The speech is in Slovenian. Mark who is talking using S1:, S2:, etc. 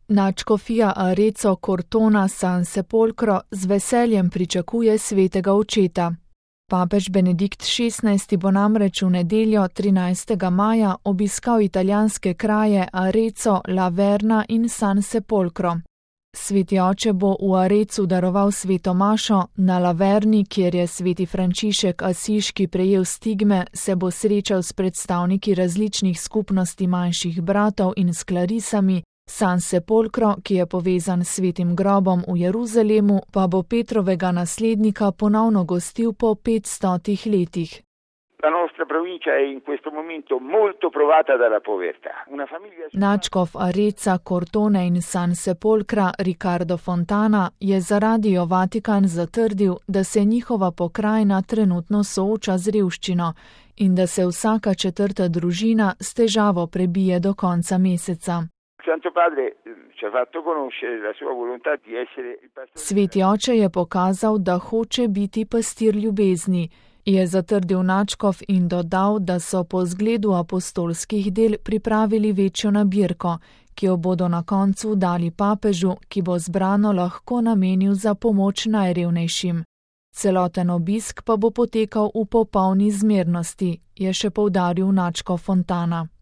S1: Nadškofija Arezzo Cortona San Sepolcro z veseljem pričakuje svetega očeta. Papež Benedikt XVI bo namreč v nedeljo 13. maja obiskal italijanske kraje Arezzo, Laverna in San Sepolcro. Sveti oče bo v Arezzu daroval sveto mašo, na Laverni, kjer je sveti Frančišek Asiški prejel stigme, se bo srečal s predstavniki različnih skupnosti manjših bratov in s klarisami. San Sepolcro, ki je povezan s svetim grobom v Jeruzalemu, pa bo Petrovega naslednika ponovno gostil po 500 letih. Nadškof Arezza, Cortone in San Sepolcra Riccardo Fontana je za Radio Vatikan zatrdil, da se njihova pokrajina trenutno sooča z revščino in da se vsaka četrta družina s težavo prebije do konca meseca. Sveti oče je pokazal, da hoče biti pastir ljubezni, je zatrdil nadškof in dodal, da so po zgledu apostolskih del pripravili večjo nabirko, ki jo bodo na koncu dali papežu, ki bo zbrano lahko namenil za pomoč najrevnejšim. Celoten obisk pa bo potekal v popolni zmernosti, je še poudaril nadškof Fontana.